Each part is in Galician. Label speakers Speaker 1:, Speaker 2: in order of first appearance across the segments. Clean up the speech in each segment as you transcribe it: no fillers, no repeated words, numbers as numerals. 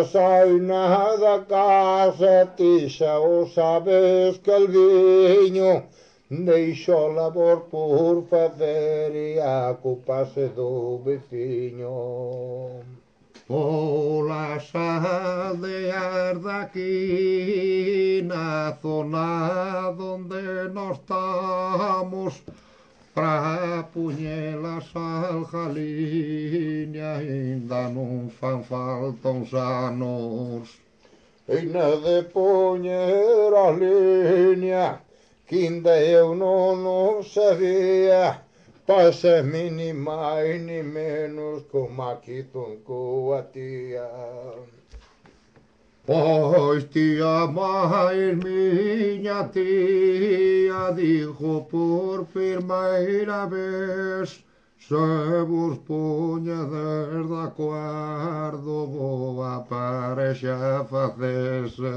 Speaker 1: sai nada casa, ti xa o sabes que el viño deixo labor por facer e a culpa se do veciño.
Speaker 2: Polas aldeas daqui na zona donde nós estamos, pra puñelas aljaliña ainda non fan falta uns anos.
Speaker 1: E na de poñer a liña, que ainda eu non o sabía, pasa ni máis ni menos como aquí coa tía.
Speaker 2: Pois tía máis miña tía dixo por primeira vez, se vos puñedes de acordo boa parexa facese.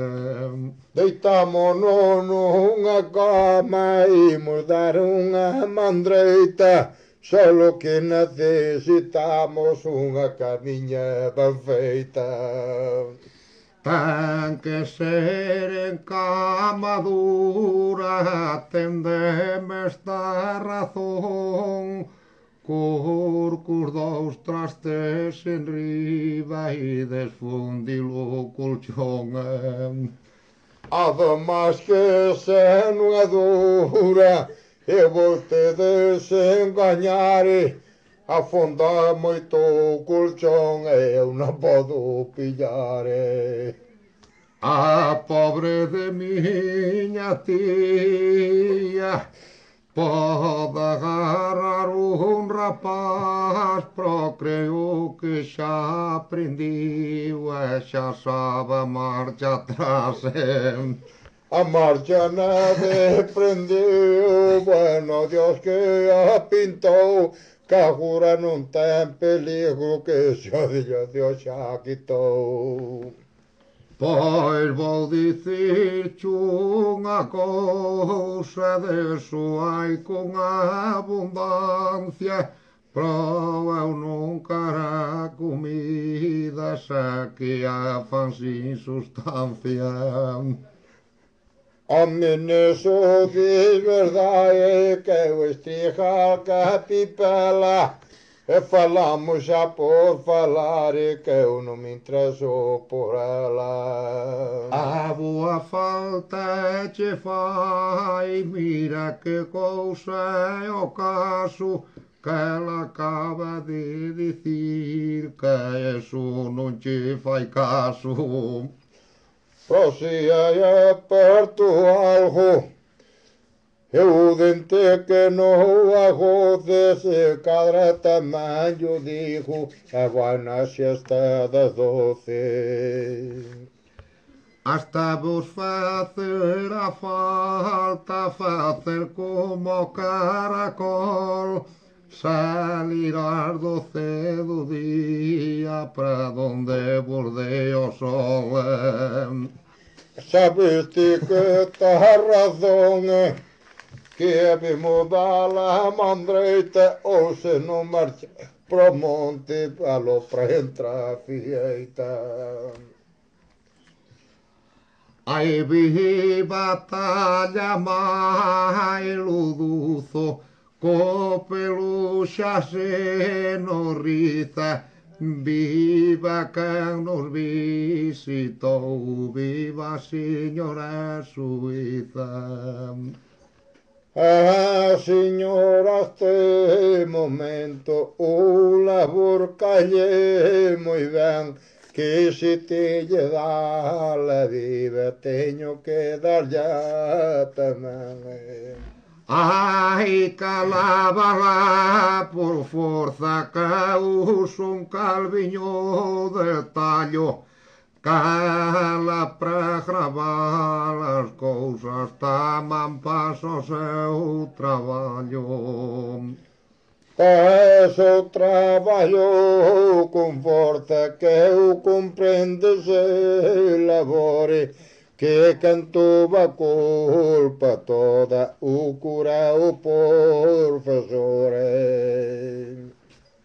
Speaker 1: Deitámonos nunha cama, imos dar unha mandreita, solo que necesitamos unha camiña ben feita.
Speaker 2: Ten que ser en cama dura, atendeme esta razón, cos dous trastes enriba e desfundilo o colchón.
Speaker 1: Ademais que se non é dura, e vostedes engañare, afonda moito o colchón e eu non podo pillar.
Speaker 2: A pobre de miña tía pode agarrar un rapaz, pero creo que xa aprendiu e xa sabe a marcha atrás.
Speaker 1: A marcha nada prendeu, bueno, Dios que a pintou, que agora non ten peligro, que xa Dios xa quitou.
Speaker 2: Pois vou dicirche unha cousa, deso hai con abundancia, pero eu nunca a comida xa que a fan sin sustancia.
Speaker 1: Home, neso dis verdade que eu estiga a capipela, e falamos xa por falar e que eu non me intereso por ela.
Speaker 2: A boa falta che fai, mira que cousa é o caso, que ela acaba de dicir que eso non che fai caso.
Speaker 1: Pero se hai aperto algo, eu dente que non agoce, se cadra tamén yo digo, e vai na xesta das 12.
Speaker 2: Hasta vos facer a falta, facer como caracol, salir ás 12 do día pra donde vos dé o sol.
Speaker 1: Sabes ti que ta razón, que habemos dar a mandreita, ou se non marcha pro monte, alo pra entrar a fieita.
Speaker 2: Ai vi batalla mai luduzo, co peluxa se nos riza, viva quen nos visitou, viva a señora Suiza.
Speaker 1: Ah, señora, este momento o labor calle moi ben, que se te lle dá la vida, teño que dar ya tamén.
Speaker 2: Ai, calábala por forza, que uso un calviño de tallo, cala para gravar as cousas, taman paso o seu traballo.
Speaker 1: Eso traballo con forza, que eu comprendo se labore, que cantou a culpa toda o cura o profesor.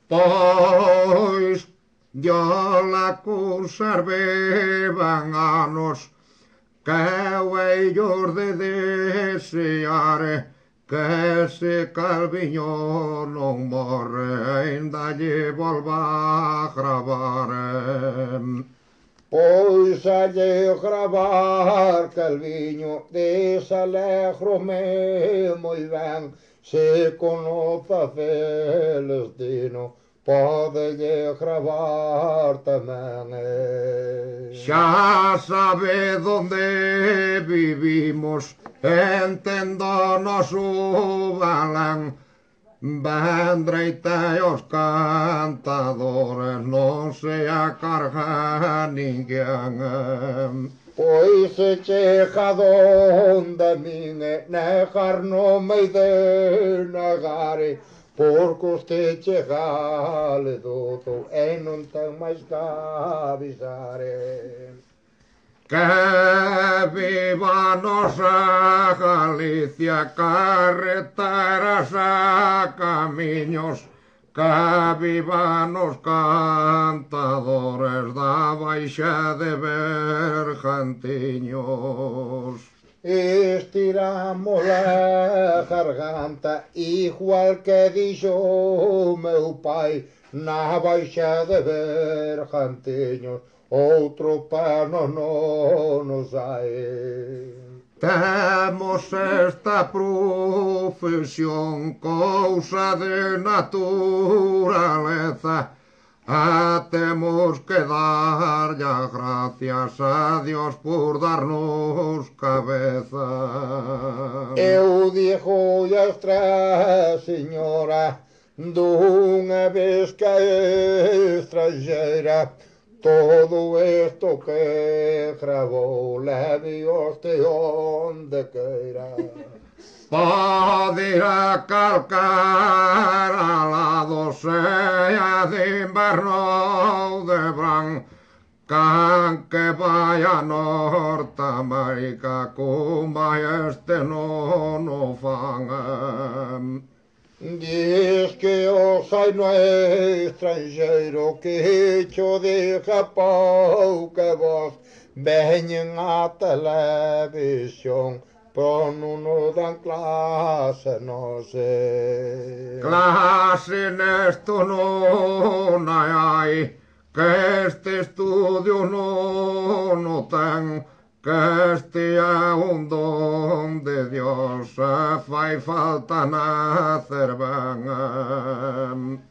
Speaker 2: Pois jolla conservevan anos, käy ei jorde deseare, que se calviño non morre, ainda lle volva a gravar.
Speaker 1: Pois lle gravar Calviño, desalegro-me moi ben, se conoza Celestino, pode lle gravar tamén.
Speaker 2: Xa sabe donde vivimos, enténdonos o balán, vendreite os cantadores, non se acarga ninguén.
Speaker 1: Pois se chega donde min negar non me de negare, porque usted chegale doto e non ten máis que avisare.
Speaker 2: Que viva nosa Galicia, carreteras e camiños, que vivan os cantadores da Baixa de Bergantiños.
Speaker 1: Estiramos a garganta, igual que dixo meu pai, na Baixa de Bergantiños, outro pano non nos hai.
Speaker 2: Temos esta profesión, cousa de naturaleza, temos que darlle as gracias a Dios por darnos cabeza.
Speaker 1: Eu digo a outra señora, dunha vez que é estrangeira, todo isto que gravou, leve oste onde queira.
Speaker 2: Pode ir a calcar lado, sea de inverno ou de verán, can que vai a Norteamérica, como este non o fan.
Speaker 1: Diz que o sai no estrangeiro, que cho diga pouca voz, veñen a televisión, pero non nos dan clase, non sei.
Speaker 2: Clase nesto non hai, que este estudio non o ten, que este é un don de Dios, fai falta nacer ben.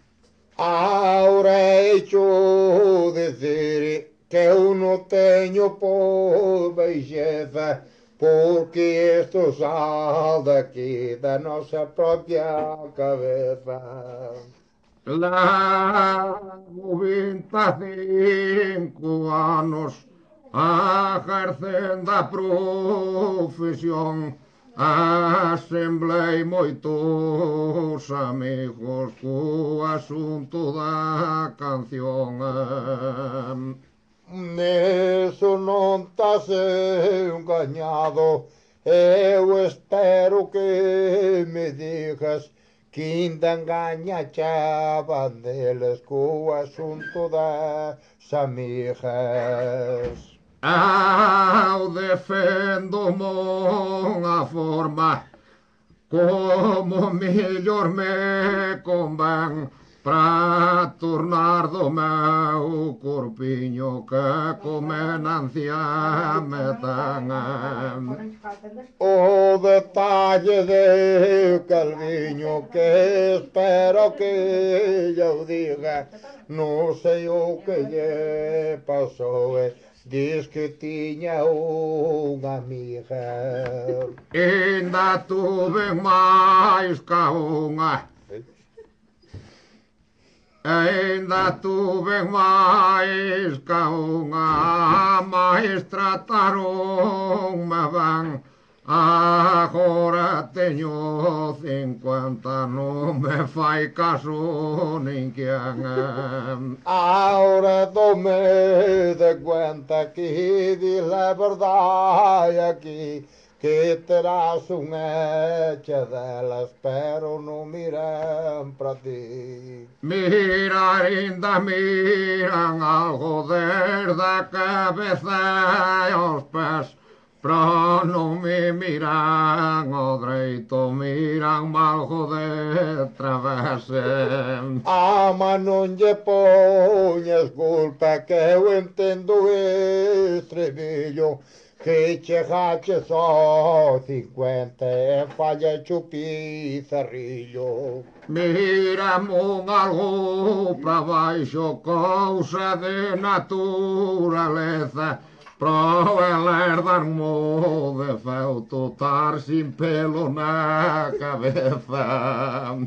Speaker 1: Ahora hecho decir que eu non teño por belleza, porque isto sal daqui da nosa propia cabeza.
Speaker 2: Levo 25 anos ejercendo a profesión, asemblei moitos amigos co asunto da canción.
Speaker 1: Neso non estás engañado, eu espero que me digas que ainda engañachaban deles co asunto das amigas.
Speaker 2: Eu defendo monha forma, como mellor me convén, pra tornar do meu corpiño que comenancia me ten.
Speaker 1: O detalle de Calviño, que espero que eu diga, non sei o que lle pasou, diz que tiña unha amiga.
Speaker 2: Ainda tuve máis ca unha, ainda tuve máis ca unha, máis trataronme ben. Agora teño 50, non me fai caso ninguén.
Speaker 1: Ahora tome de cuenta que diz la verdade aquí, que terás un hecha delas, pero non miran para ti.
Speaker 2: Mirar ainda miran algo desde a cabeza e aos pés, pero non me miran ao dreito, miran algo de travese.
Speaker 1: Ama, non lle poñas culpa, que eu entendo estribillo, que chegache só 50 e falla chupizarrillo.
Speaker 2: Miram algo para baixo, cousa de naturaleza, para dar-mo de feuto, tar sin pelo na cabeza.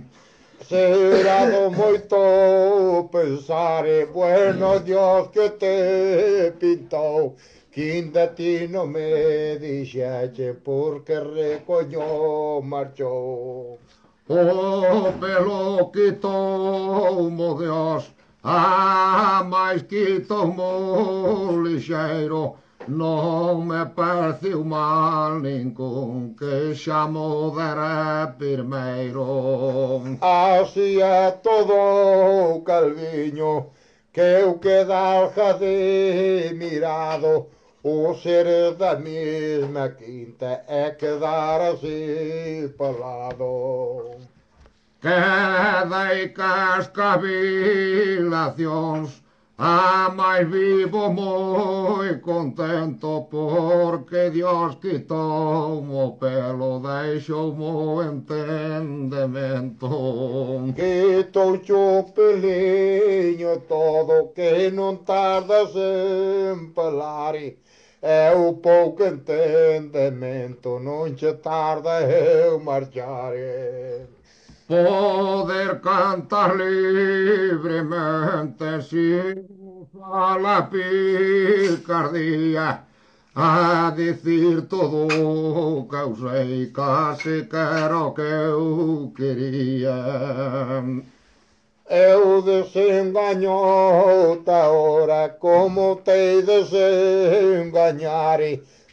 Speaker 1: Será do moito pensar, e bueno Dios que te pintou, que ainda ti non me dixeche porque recoño marchou.
Speaker 2: O pelo quitou-mo Dios, mais quitou-mo lixeiro, non me pareceu mal ningún que xa mo dera primeiro.
Speaker 1: Así é todo Calviño, que eu quedalja de mirado, o ser da mesma quinta é quedar así pelado.
Speaker 2: Quedei cas cavilacións, mais vivo moi contento, porque Dios quitou-mo o pelo, deixou-mo o entendemento.
Speaker 1: Quitou-che o peliño todo, que non tardas en pelar, é o pouco entendemento, non che tarda eu marchar.
Speaker 2: Poder cantar libremente sin usar la picardía, a decir todo o que eu sei, case que era o que eu quería.
Speaker 1: Eu desengañou-te ahora, como te desengañar,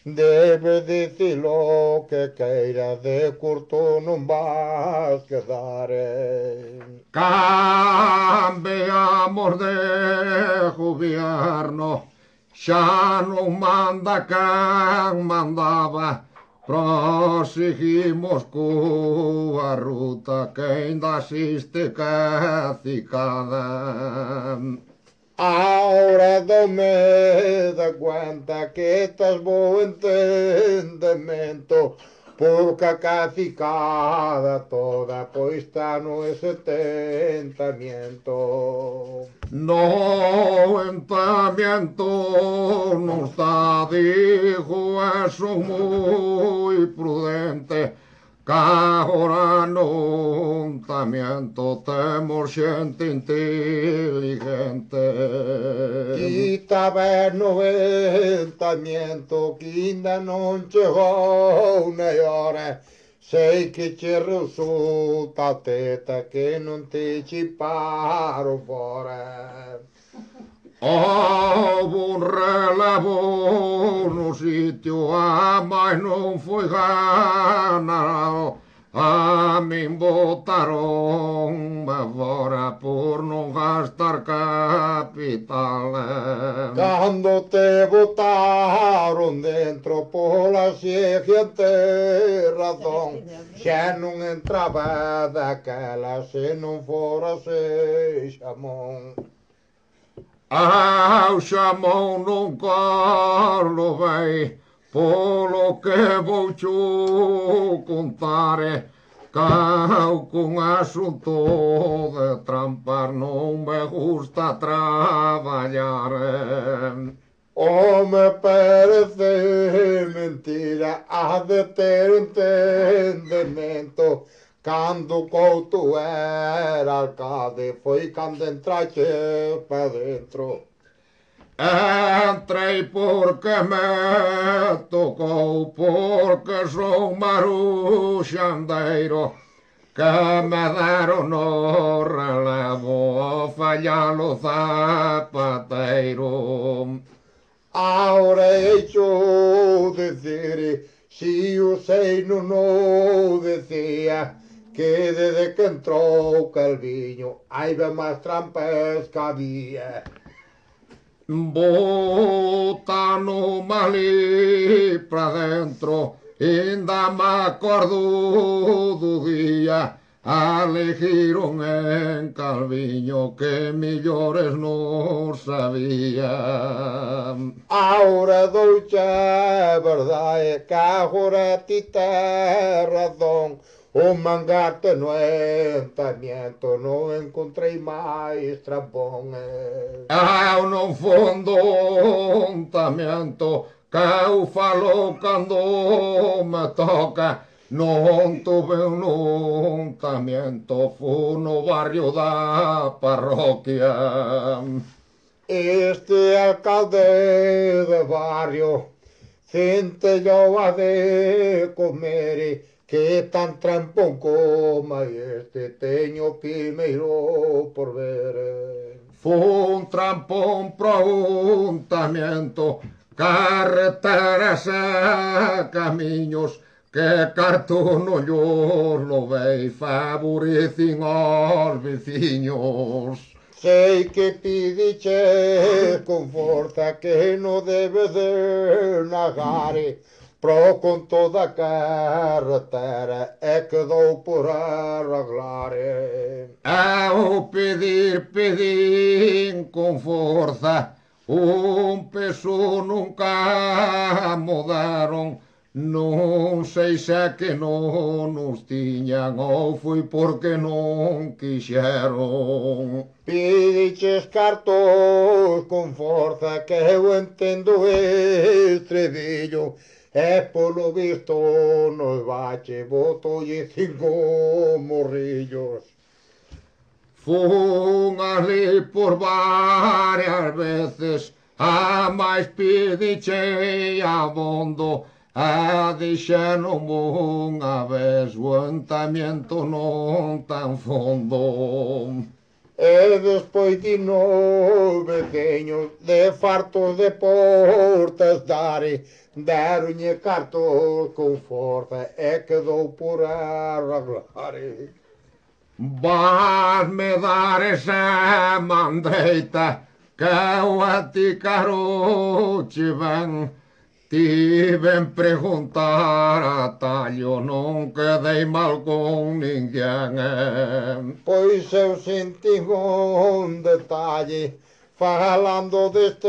Speaker 1: debe dicilo que queira, de curto non vas quedar.
Speaker 2: Cambiamos de gobierno, xa non manda quen mandaba, proseguimos coa ruta que ainda existe cacicada.
Speaker 1: Ahora dome de cuenta que estás bo entendemento, porque a cacicada toda pois está no setentamiento.
Speaker 2: No entamiento non está, digo, eso moi prudente, que agora non tamiento temos xente inteligente.
Speaker 1: Quita ver no entamiento, que ainda non chegou na hora. Sei que che resulta teta, que non te chiparo fora.
Speaker 2: Houve un relevo no sitio, mais non foi ganado. A min botaron fora por non gastar capital.
Speaker 1: Cando te botaron dentro pola seguinte razón, xa non entraba daquela se non fora se xamón.
Speaker 2: Ao xamón non corlo vai, polo que vou xo contar, cau cun asunto de trampar non me gusta traballar.
Speaker 1: Me parece mentira, há de ter entendemento. Cando Couto era alcade, foi cando entrache pa dentro.
Speaker 2: Entrei porque me tocou, porque sou maruxandeiro, que me deron no relevo ao fallar o zapateiro.
Speaker 1: Ahora hecho decir, Si o sei non o decía que desde que entrou Calviño hai ben máis trampas que había.
Speaker 2: Bota no mali pra dentro, ainda me acordo do día elegiron en Calviño que millores non sabía.
Speaker 1: Ahora douche a verdade que agora ti tes razón. O mangarte no entamiento non encontrei máis trampones.
Speaker 2: Non fondo ontamiento que eu falo cando me toca. Non tuve un ontamiento, fu no barrio da parroquia.
Speaker 1: Este alcalde de barrio centellou a de comer que tan trampón como este teño primeiro por ver.
Speaker 2: Fu un trampón pro untamiento, carreteras e camiños que cartono yo lo vei favorecen aos veciños.
Speaker 1: Sei que pidiche con forza que non debe de negar, pro con toda a carretera e quedou por arreglar.
Speaker 2: Ao pedir con forza, un peso nunca mudaron. Non sei se que non nos tiñan ou foi porque non quixeron.
Speaker 1: Pidiches cartos con forza que eu entendo estribillo e polo visto nos bache botolle 5 morrillos.
Speaker 2: Fun ali por varias veces, a máis pidiche abondo, a dixeron unha vez o entamiento non tan fondo.
Speaker 1: E despois di nos veciños de fartos de portas dare, deronlle cartos con forza e quedou por arreglar.
Speaker 2: Vasme dar esa mandreita que eu a ti caroche ben. Tiven preguntar a tallo, non quedei mal con ninguén.
Speaker 1: Pois eu senti un detalle falando deste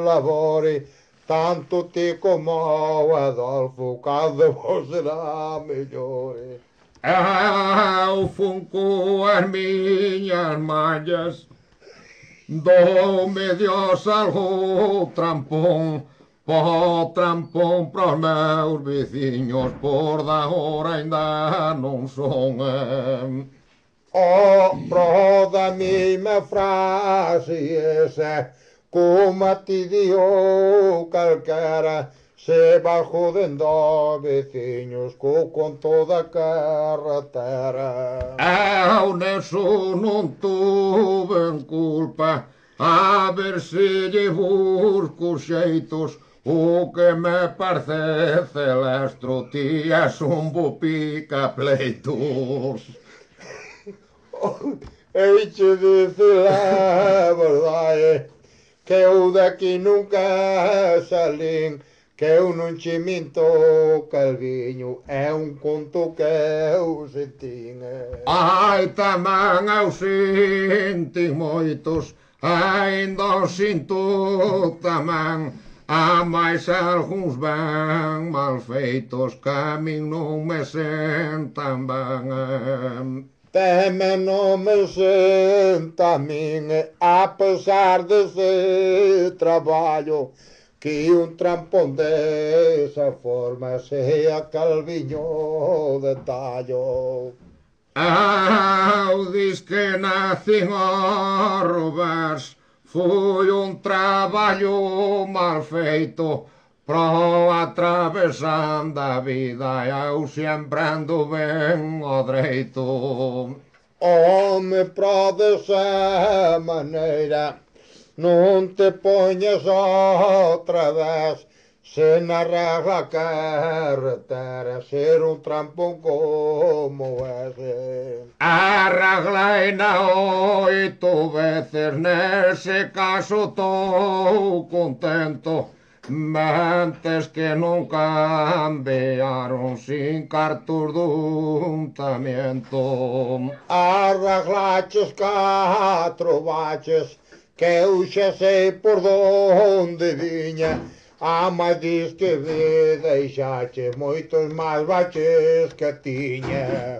Speaker 1: labore, tanto ti como o Adolfo, cal de vos será mellor.
Speaker 2: Eu fun coas miñas mallas, doume Dios algo trampón, po trampón pros meus veciños, por da hora ainda non son.
Speaker 1: Pro da mesma frase esa, como a ti dio calquera, se va jodendo veciños con toda a carretera.
Speaker 2: Eu neso non tuve culpa, a ver se lle busco xeitos. O que me parece celestro, ti és un bo pica pleitos.
Speaker 1: Eiche dice a verdade que eu daqui nunca salín, que eu non che minto, Calviño, é un conto que eu sentín.
Speaker 2: Ai, tamén eu senti moitos, ainda sinto tamén, a máis algúns ben mal feitos que a min non me sentan ben.
Speaker 1: Teme non me senta a min, a pesar dese traballo, que un trampón desa forma sea Calviño de tallo.
Speaker 2: Eu dis que nacín a roubars, foi un traballo mal feito, pro atravesando a vida eu sempre ando ben ao dreito.
Speaker 1: Home, pro desa maneira non te poñas outra vez, se arregla carretera, ser un trampón como ese.
Speaker 2: Arreglaina oito veces, nese caso tô contento. Mentes que non cambiaron sin cartos de untamiento.
Speaker 1: Arreglaches 4 baches, que eu xa sei por donde viña. Mas diz que me deixaches moitos máis baches que tiña.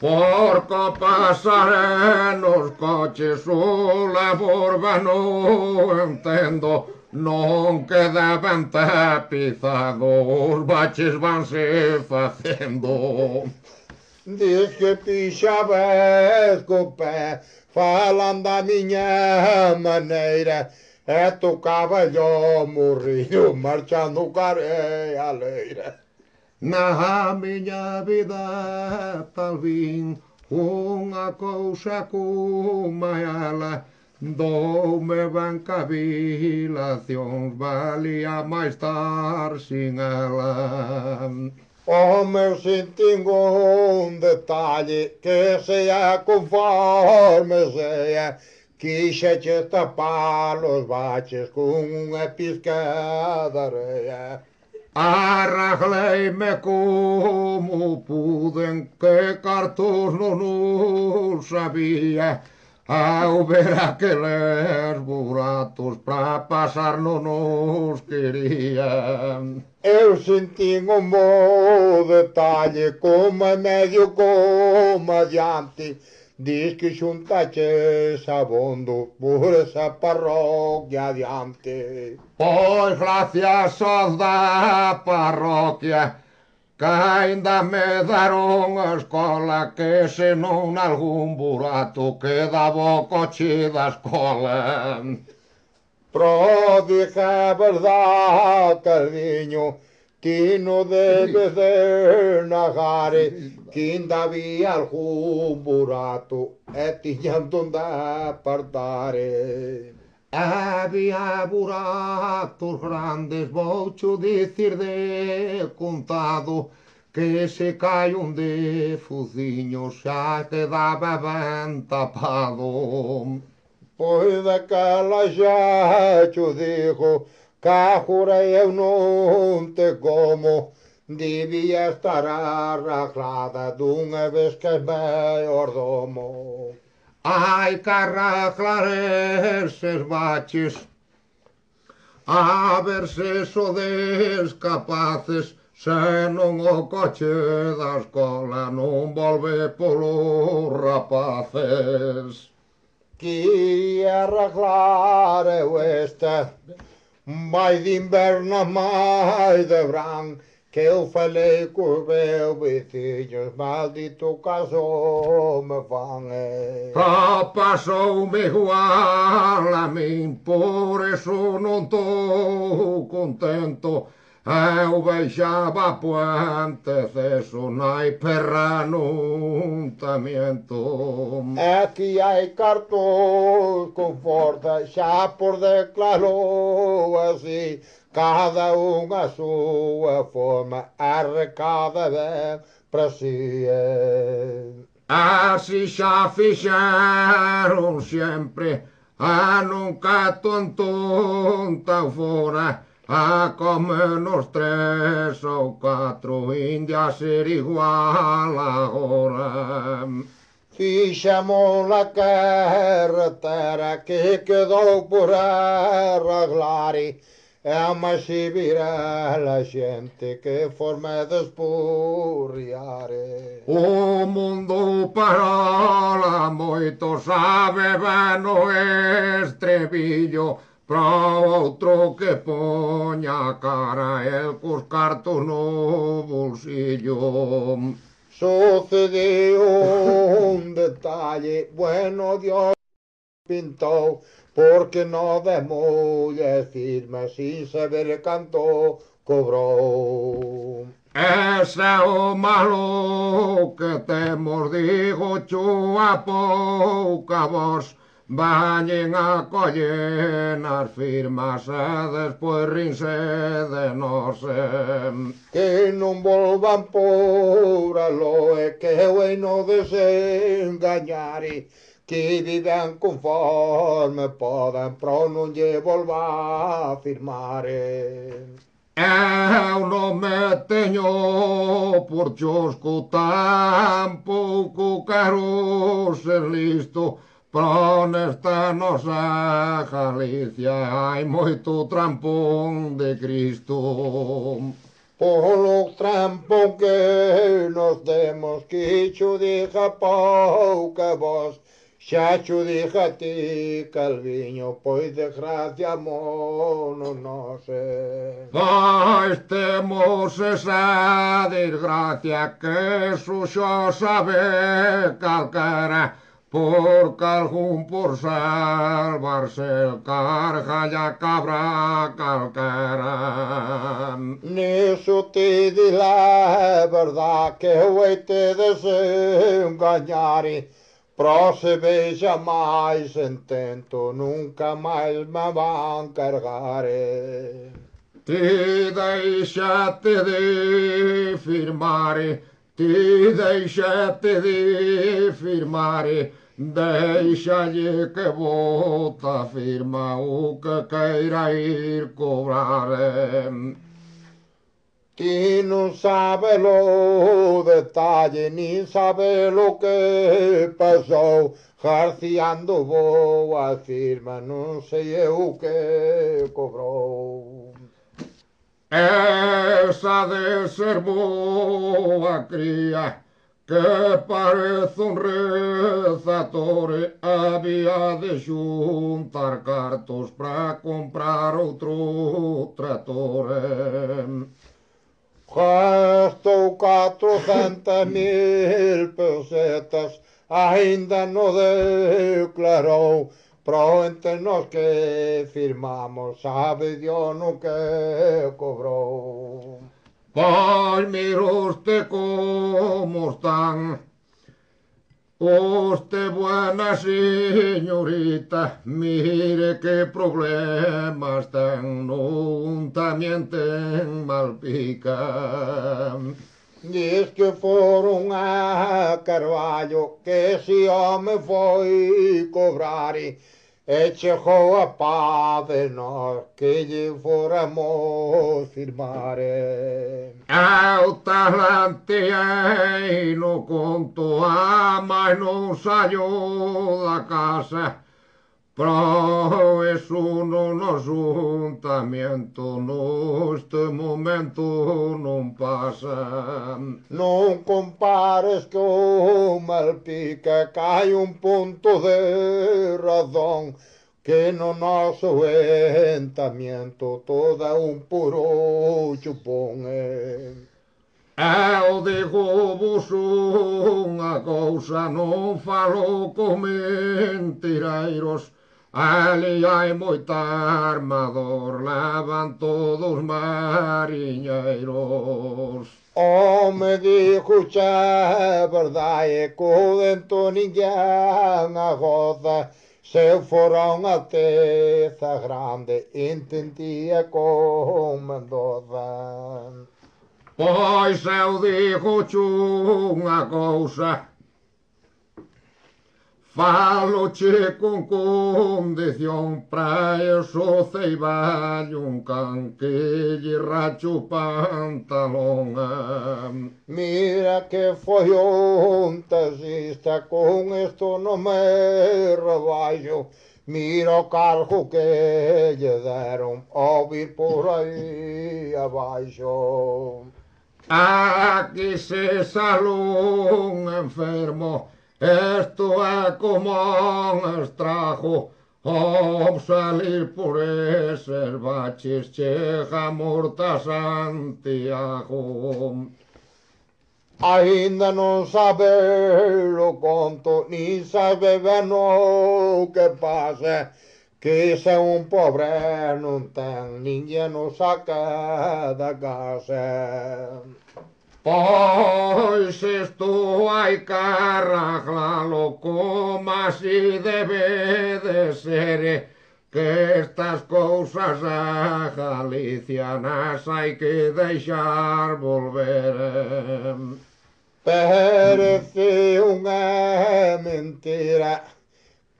Speaker 2: Porco pasaré nos coches, o labor no entendo. Non quedaban tapizados, os baches vanse facendo.
Speaker 1: Diz que pixabes co pé, falando da miña maneira, e tocaba yo morrido, marchando careia leira.
Speaker 2: Na miña vida tal vin unha cousa coma ela, doume ben cavilacións, valía máis tar sin ela.
Speaker 1: O meu sentín un detalle, que sea conforme sea, quixeche tapar os baches con unha pizca de areia.
Speaker 2: Arregleime como puden, que cartos non os sabía. Ao ver aqueles buratos pra pasar non os querían.
Speaker 1: Eu sentín un bo detalle, como en medio como adiante, diz que xuntaches abondo por esa parroquia adiante.
Speaker 2: Pois gracias aos da parroquia, que ainda me daron a escola, que se non algún burato quedaba o coche da escola.
Speaker 1: Prodiga verdad, cariño, ti non debes de negar que ainda había algún burato e tiñan donde apartar.
Speaker 2: Había buratos grandes, voucho dicir de contado, que se cai un de fuciño xa quedaba ben tapado.
Speaker 1: Pois daquela xa te digo, que jurei eu non te como, debía estar arreglada dunha vez que é mellor domo.
Speaker 2: Hai que arreglar eses baches, a ver se sodes capaces, senón o coche da escola non volve polos rapaces.
Speaker 1: Que arreglar eu esta, máis de inverno, máis de verán, que eu falei cos meus veciños, maldito caso me fan.
Speaker 2: Pasoume igual a min, por eso non tô contento. Eu baixaba puente ceso, nai perra nun tamiento.
Speaker 1: Aquí hai cartos con forza, xa por declaro así, cada un a súa forma, arrecada ben para si.
Speaker 2: Así xa fixeron sempre, a nunca tonta fora, a comernos 3 ou 4, india ser igual agora.
Speaker 1: Fixamos a carretera que quedou por arreglar, mas se vira a xente que forma de espurriar.
Speaker 2: O mundo parola moito, sabe ben o estribillo, pra outro que poña a cara el cos cartos no bolsillo.
Speaker 1: Sucedió un detalle, bueno Dios pintou, porque no de mulles firmes sin saber canto cobrou.
Speaker 2: Ese é o malo que temos, digo cho a pouca voz, Vayan a coller nas firmas e despois rinse de nós.
Speaker 1: Que non volvan por a loe, que o no desengañare, que vivan conforme podan, pro non lle volva a firmare.
Speaker 2: Eu non me teño por chosco, tampouco quero ser listo, pero nesta nosa Galicia hai moito trampón de Cristo.
Speaker 1: Polo trampón que nos demos, que cho diga pouca voz, xa cho diga ti, Calviño, pois desgracia mono non sei.
Speaker 2: Pois temos esa desgracia que eso xa sabe calquera, porque algún por salvarse el carga ya cabra calquera.
Speaker 1: Nisso te di la verdad, que o te desengañare, pro se veja máis intento, nunca máis me van cargare.
Speaker 2: Ti deixate de firmare, ti deixate de firmare, deixalle que bota firma o que queira ir cobrar.
Speaker 1: Ti non sabe lo detalle, nin sabe lo que pasou, jarciando boa firma, non sei eu que cobrou.
Speaker 2: Esa de ser boa cría, que parece un rezatore, había de xuntar cartos para comprar outro trator.
Speaker 1: Gastou 400.000 pesetas, ainda non declarou, pro entre nós que firmamos, sabe Dios no que cobrou.
Speaker 2: Pois mira usted como están, usted buena señorita, mire que problemas ten, non tamén ten Malpica.
Speaker 1: Diz que foron a Carballo, que ese home foi cobrar, e chegou a paz de nós, que lle fóramos firmar.
Speaker 2: Eu talanteei no conto, mas non saio da casa, pero eso no ajuntamiento neste momento non pasa.
Speaker 1: Non compares que o Malpica, que hai un punto de razón, que no noso entamiento toda un puro chupón.
Speaker 2: Eu digo vos unha cousa, non falo con mentireiros, ali hai moita armador, levan todos mariñeiros.
Speaker 1: Me dijo xa verdade, que o dentro ninguén agoza, se fora unha teza grande, entendía con Mendoza.
Speaker 2: Pois eu digo unha cousa, faloche con condición, pra eso ceiballo un can que lle racho o pantalón.
Speaker 1: Mira que foi un taxista, con esto non me rebaixo, mira o cargo que lle deron ao vir por aí abaixo.
Speaker 2: Aquí se sale un enfermo, esto é como un estrago, ao salir por eses baches chega morta Santiago.
Speaker 1: Ainda non sabe o conto, nin sabe ben o que pasa, que se un pobre non ten, ninguén o saca da casa.
Speaker 2: Pois estou ai carragla como si debe de ser, que estas cousas a galicianas hai que deixar volver.
Speaker 1: Parece unha mentira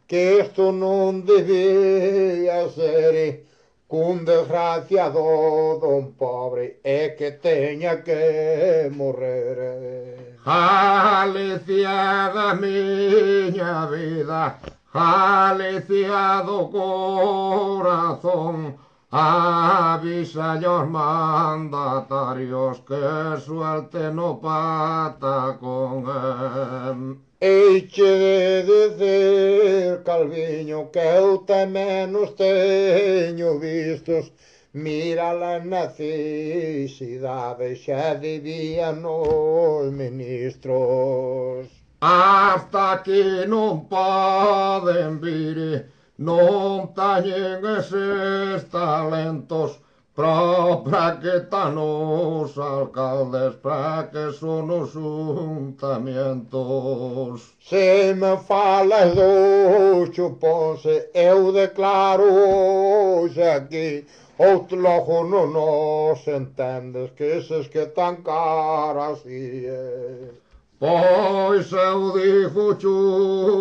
Speaker 1: que isto non debía ser, cun desgraciado don pobre é que teña que morrer.
Speaker 2: Galicia da miña vida, Galicia do corazón, avisa aos mandatarios que suelten o patacón.
Speaker 1: Eiche de dizer, Calviño, que eu tamén os teño vistos. Mira la necesidade, xa debían os ministros.
Speaker 2: Hasta aquí non poden vir, non teñen eses talentos, para que tan os alcaldes, para que son os juntamientos.
Speaker 1: Se me falas do chuponse, eu declaro hoxe aquí, outro logo non nos entendes, que eses que tan caras é.
Speaker 2: Pois eu digo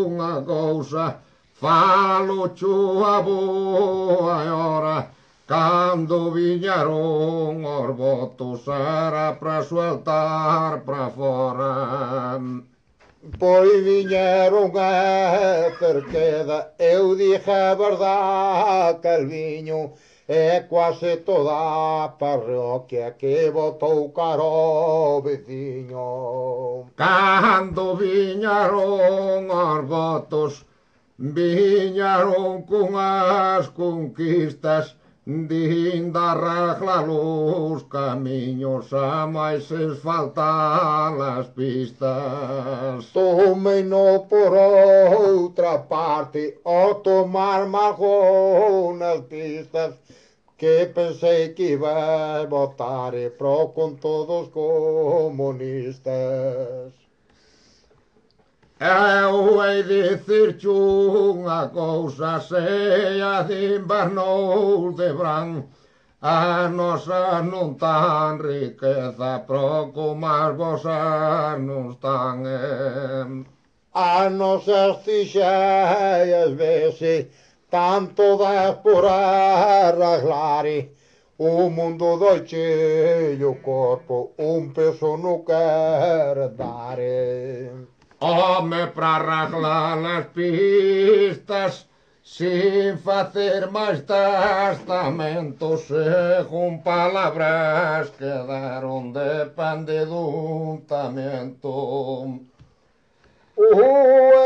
Speaker 2: unha cousa, falo a boa hora, cando viñeron os votos era para sueltar para fora.
Speaker 1: Pois viñeron a cerqueda, eu dixe a verdade, Calviño, é quase toda a parroquia que votou caro veciño.
Speaker 2: Cando viñeron os votos, viñeron cunhas conquistas, din da regla los camiños, a máis faltan as pistas.
Speaker 1: Tomei no por outra parte, ao tomar margón nas pistas, que pensei que iba a votar pro con todos comunistas.
Speaker 2: Eu hei dicirche unha cousa, se a de invernou de bran, a nosa non tan riqueza, pro como as vosas non están.
Speaker 1: A nosas tixeias vese, tanto das por arreglar, o mundo doiche o corpo, un peso non quer dar.
Speaker 2: Home, para arreglar as pistas, sin facer máis testamentos, según palabras quedaron depende dun tamento.
Speaker 1: O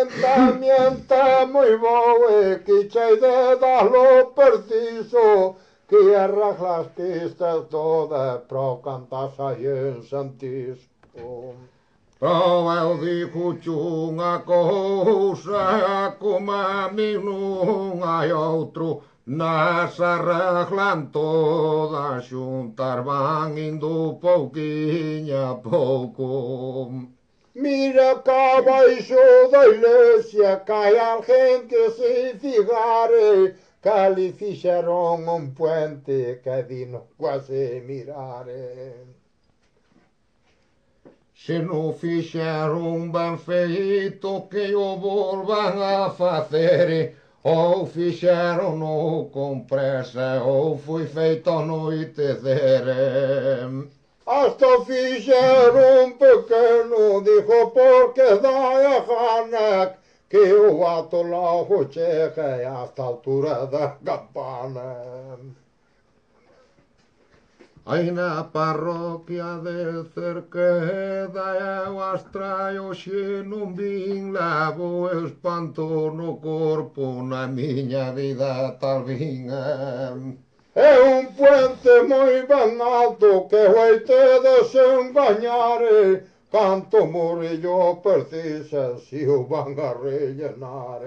Speaker 1: entamiento é moi bo e que chei de darlo preciso, que arreglas pistas todas pro cantas aí en Santisco.
Speaker 2: Pero eu digo-te unha cousa, como a mí non hai outro, nas arreglan todas xuntas, van indo pouquiño a pouco.
Speaker 1: Mira cá baixo da iglesia que hai alguén que se figare, que ali fixeron un puente que dino quase mirare.
Speaker 2: Se non fixeron ben feito que o volvan a facer, ou fixeron no con presa, ou foi feito a noitecer.
Speaker 1: Hasta fixeron un pequeno, dijo, porque dai a gana que o ato logo chegue hasta a altura da campana.
Speaker 2: Aí na parroquia de Cerqueda eu as traio xe non vin, levo espanto no corpo, na miña vida tal vin.
Speaker 1: É un puente moi ben alto que vai te desengañar, canto murillo precisa si o van a rellenar.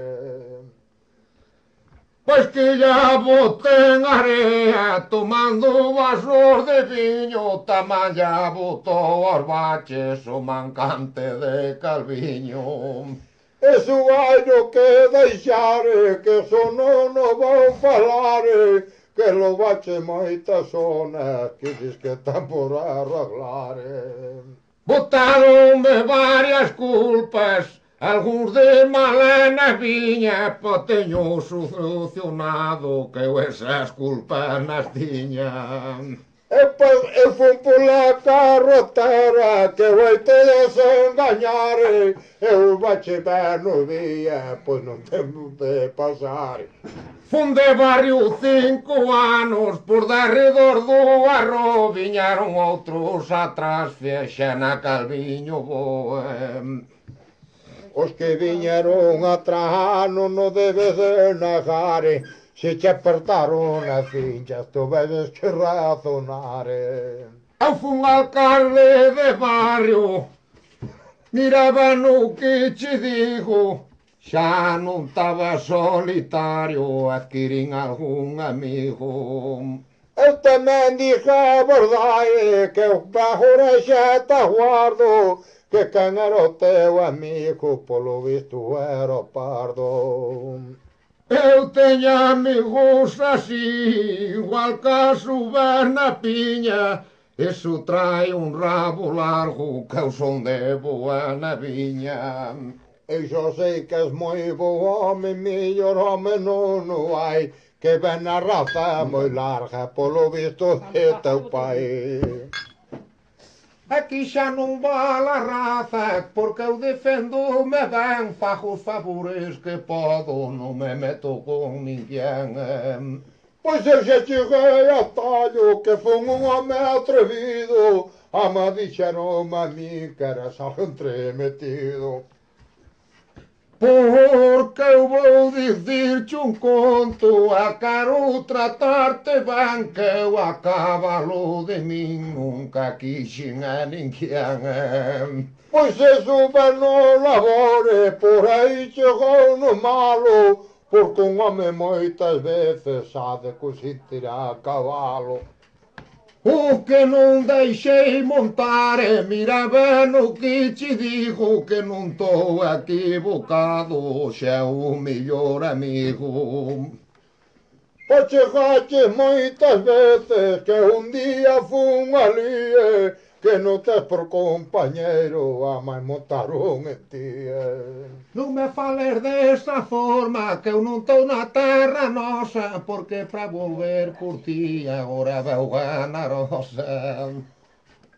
Speaker 2: Pois que ya boten area tomando vasos de viño, tamén ya botou aos baches o mancante de Calviño.
Speaker 1: Iso vai no que deixar, que eso non o vou falar, que lo bache moitas zonas, que dis que están por arreglar.
Speaker 2: Botaronme varias culpas, algúns de malena viña, po teño solucionado que eu esas culpas nas tiña.
Speaker 1: Eu fui pola carretera que vai te desengañar, eu bache ben no día, pois non temos de pasar.
Speaker 2: Fun de barrio 5 anos, por darredor do arro, viñaron outros atrás, fexen a Calviño boa.
Speaker 1: Os que viñeron atrás non o debes de negar, se te apertaron as cinchas, tu debes que razonar.
Speaker 2: Eu fun alcalde de barrio, miraba no que che digo, xa non estaba solitario, adquirín algún amigo.
Speaker 1: Eu tamén dixo a verdade, que o agora xa te guardo, que quen era o teu amigo, polo visto era pardo.
Speaker 2: Eu teño amigos así, igual que a Suberna Piña, eso trae un rabo largo, que eu son de boa na viña.
Speaker 1: Eu xo sei que és moi bo home, millor home non o hai, que ven a raza moi larga, polo visto de teu pai.
Speaker 2: Aquí xa non vale a raza, porque eu defendo-me ben, fago os favores que podo, non me meto con ninguén.
Speaker 1: Pois eu xa cheguei a tallo, que fun un home atrevido, ama dixeron a mí que eras algo entremetido.
Speaker 2: Porque eu vou dicirche un conto, a quero tratarte ben, que eu a cabalo de min nunca quixen a ninguén.
Speaker 1: Pois eso ben no labore, por aí chegou no malo, porque un home moitas veces ha de coxintir a cabalo.
Speaker 2: O que non deixei montar, mira ben o que che digo, que non estou equivocado, xa é o mellor amigo.
Speaker 1: Pois chegaste moitas veces que un día fun ali, que non tes por compañeiro, a máis montaron en ti.
Speaker 2: Non me fales desa forma, que eu non estou na terra nosa, porque para volver por ti agora veu ganar osa.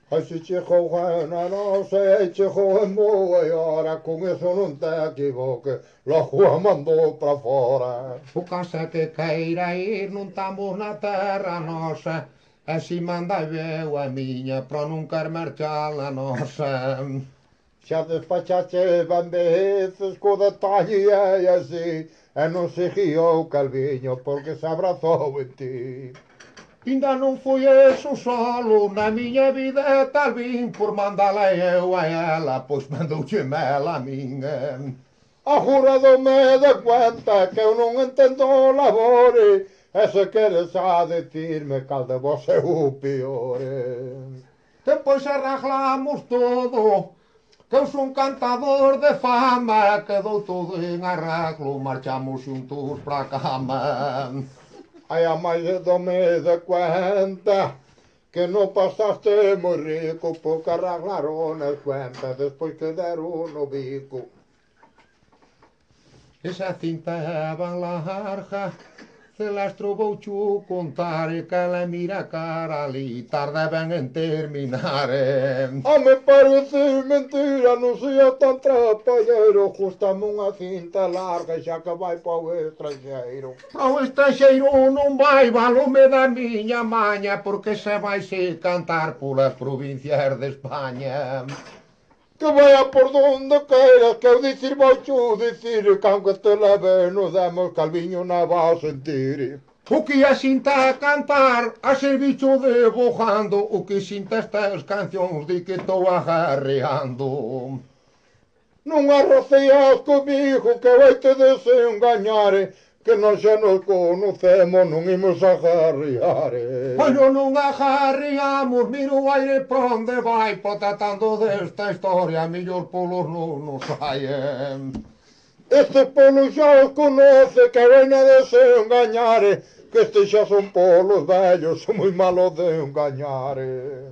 Speaker 1: Ai, se chegou a nosa e chegou en boa hora, con eso non te equivoques, logo a mandou para fora.
Speaker 2: O casa que queira ir, non estamos na terra nosa, e si manda eu a miña, para non quer marchar a nosa.
Speaker 1: Xa despachaste van veces co detalle e así, e non se guiou Calviño porque se abrazou en ti.
Speaker 2: Ainda non foi eso solo, na miña vida tal vin por mandala eu a ela, pois mandouche mela a min.
Speaker 1: Agora dome de cuenta que eu non entendo o labore, e se queres a decirme cal de vos é o peor.
Speaker 2: Depois arreglamos todo, que eu son cantador de fama, quedou todo en arreglo, marchamos xuntos pra cama.
Speaker 1: Ai, a máis dome de cuenta que non pasaste moi rico, porque arreglaron as cuentas despois que deron no bico.
Speaker 2: Esa cinta van larga, se las trobou chu contar, e que ela mira cara ali, tarda ben en terminar.
Speaker 1: A me parece mentira, non sea tan trapallero, justame unha cinta larga xa que vai pa o estranxeiro.
Speaker 2: Ao estranxeiro non vai valome da miña maña, porque se vai se cantar polas provincias de España.
Speaker 1: Que vaya por donde queiras, que eu dicir vou chu dicir, que aunque te leve nos demos Calviño na vas sentir.
Speaker 2: O que a sinta a cantar, a ser bicho de bojando, o que sinta estas cancións de que estou agarreando.
Speaker 1: Non arroceas comigo que vai te desengañar, que non xa nos conocemos, non imos a jarriar.
Speaker 2: Bueno, non ajarriamos, miro o aire por onde vai, tratando desta historia, mellor polos non nos saen.
Speaker 1: Estes polos xa os conoce, que veña de se engañar, que estes xa son polos vellos, son moi malos de engañar.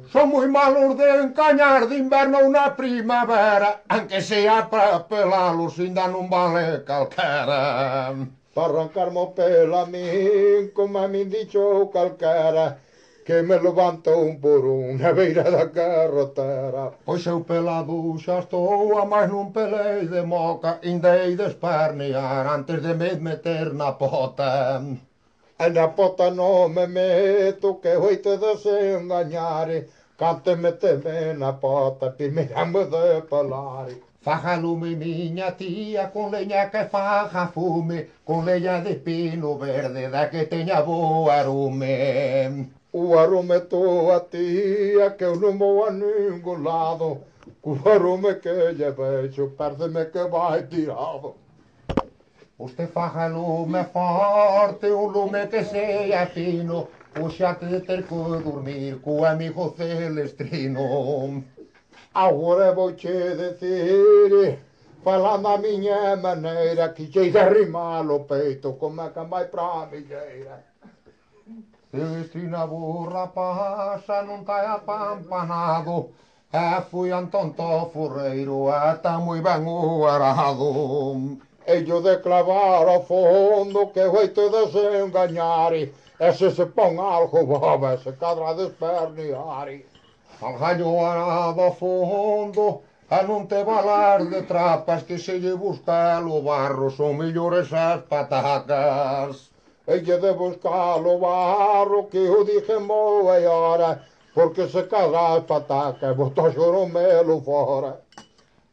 Speaker 2: Son moi malos de engañar de inverno ou na primavera, aunque sea para pelalos, ainda non vale calquera.
Speaker 1: Para arrancarmo pela min, como a min dicho calquera, que me levanto un por un na beira da carretera.
Speaker 2: Pois eu pelado xa estou, a máis non pelei de moca, ainda hei de espernear antes de me meter na pota.
Speaker 1: E na pota non me meto, que oito de se engañar, cante meteme na pota, primeiro me de pelar.
Speaker 2: Faja lume miña tía, con leña que faja fume, con leña de pino verde, da que teña bo arume.
Speaker 1: O arume tua tía, que eu non vou a ningún lado, o arume que lle vexo, pérdeme que vai tirado.
Speaker 2: Usted faja lume forte, un lume que sea fino, o xa te de ter que dormir co amigo Celestrino.
Speaker 1: Agora vouche decir, falando a miña maneira, que chei de arrimar o peito, como a can vai pra milleira.
Speaker 2: Celestrina burra pasa, non tai apampanado, e fui Antón Tofurreiro, ata moi ben o arado.
Speaker 1: Ello de clavar ao fondo, que oito de se engañar, e se pon algo boba, se cadra de espernear.
Speaker 2: Al gallo arado ao fondo, a non te valar de trapas, que se lle busca o barro, son mellores as patacas.
Speaker 1: Elle de buscar o barro, que o dije moi hora, porque se cadra as patacas, botou xoromelo fora.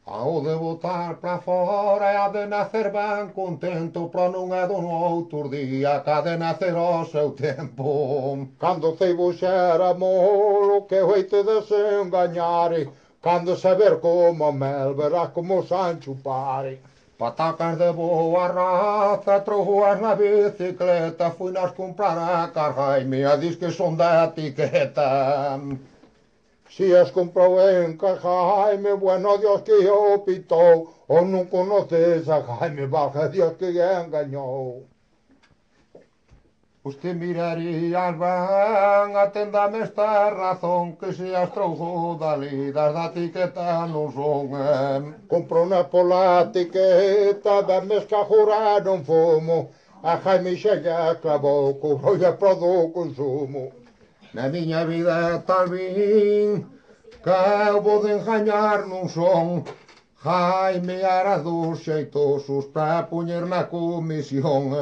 Speaker 2: Ao de botar para fora e a de nacer ben contento, pero non é do outro día, que ha de nacer ao seu tempo.
Speaker 1: Cando ceibo xera molo, que oite de se engañar, cando saber como mel, verás como Sancho pare.
Speaker 2: Patacas de boa raza, trojuas na bicicleta, fui nas comprar a Carjaime, a dis que son de etiqueta.
Speaker 1: Si as comprou en Jaime, bueno Dios que o pitou, ou non conoces a Jaime, valga Dios que engañou.
Speaker 2: Usted mirarías ben, atendame esta razón, que se as trouxo dali, das da etiqueta non son.
Speaker 1: Comprou unha pola etiqueta, dame escajurar non fumo, a Jaime xa lle clavou, cobrou pro do consumo.
Speaker 2: Na miña vida tal vin, que eu vou de engañar non son. Jaime era dos xeitosos para poñer na comisión.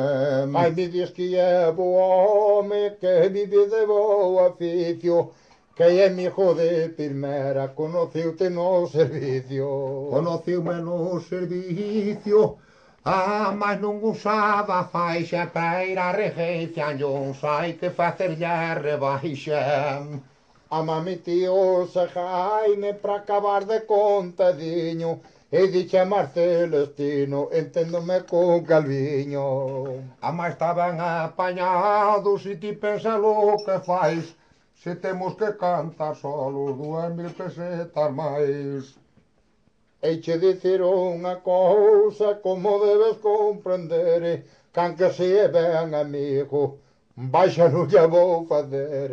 Speaker 1: Jaime diz que é bo home, que vive de bo oficio, que é mijo de primeira, conociute no servicio.
Speaker 2: Conociume no servicio, mas non usaba faixa para ir a regencia, non sai que facerlle a rebaixa.
Speaker 1: A mami tío se Jaime para acabar de contadiño, e dixe a Marcelestino, enténdome con Calviño.
Speaker 2: Ama estaban apañados e ti pensa lo que fais, se temos que cantar solos 2000 pesetas máis.
Speaker 1: Eiche dicir unha cousa, como debes comprender, can que se é ben amigo, baixa non lle vou fazer.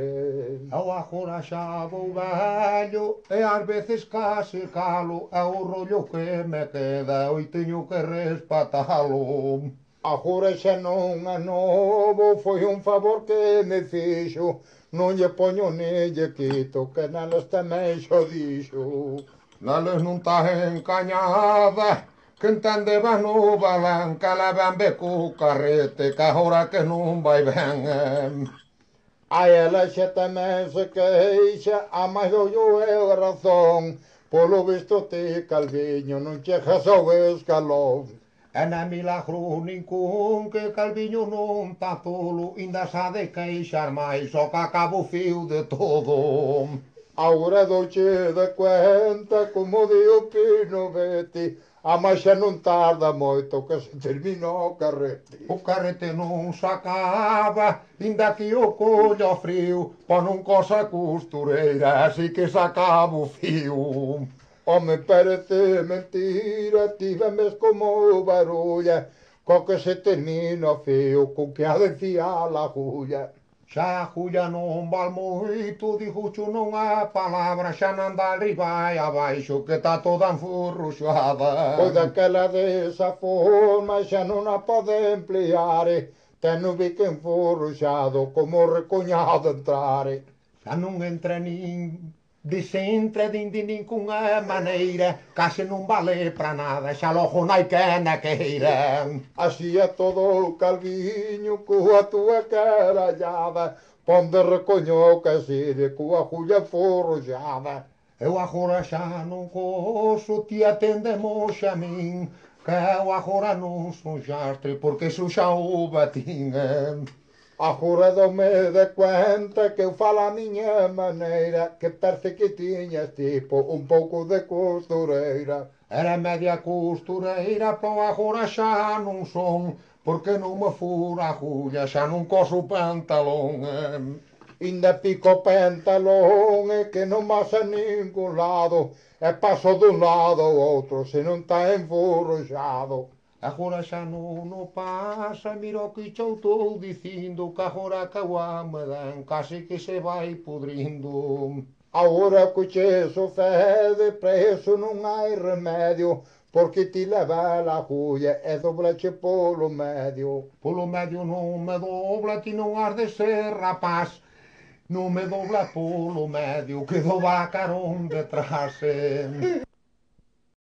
Speaker 2: Eu agora xa vou velho, e ás veces case calo, é o rollo que me queda, oi teño que respatalo.
Speaker 1: Agora xa non é novo, foi un favor que me fixo, non lle poño ni lle quito, que neles tamén xo dixo.
Speaker 2: Neles non tá encañada, que entende ben no balán, que le ben be co carrete, que agora que non vai ben.
Speaker 1: A ela xa tamén se queixa, a máis ollo é razón, polo visto ti, Calviño, non chegas ao escalón.
Speaker 2: E na milagro ningún, que Calviño non tá tolo, inda xa de queixar máis, só que acabo o fío de todo.
Speaker 1: Agora douche de cuenta, como di o Pino Beti, A máis xa non tarda moito que se termina o carrete.
Speaker 2: O carrete non se acaba, inda que o collo frío, pon un cosa costureira, así que se acaba o fío.
Speaker 1: Home, parece mentira, tivemes como barulla, co que se termina o fío, co que ha de fiar a agulla.
Speaker 2: Xa a agulla non val moito, dixucho non é palabra, xa non dá arriba e abaixo, que está toda enfurruxada.
Speaker 1: Pois daquela desa forma xa non a pode emplear, ten o bico enfurruxado como recoñado entrar.
Speaker 2: Xa non entra nin desentra de ninguna maneira, case non vale para nada, xa logo nai quen a queira.
Speaker 1: Así é todo o calviño coa túa carallada, ponde recoño que sire coa agulla forroxada.
Speaker 2: Eu agora xa non coso, ti atendemos a min, que eu agora non son xastre, porque sou xa o batín.
Speaker 1: Agora dome de cuenta que eu falo a miña maneira, que parece que tiñas tipo un pouco de costureira.
Speaker 2: Era media costureira, pero agora xa non son, porque non me fura a agulla, xa non coso o pantalón.
Speaker 1: Inda pico pantalón que non vas a ningún lado, e paso dun lado ao outro se non está enfurruxado.
Speaker 2: Agora xa non o pasa, mira o que che estou dicindo, que agora que a me dan, case que se vai pudrindo.
Speaker 1: Agora que che sucede, preso non hai remedio, porque ti leva a agulla e doblache polo medio.
Speaker 2: Polo medio non me dobla, ti non has de ser rapaz, non me dobla polo medio, que do vacarón detrás.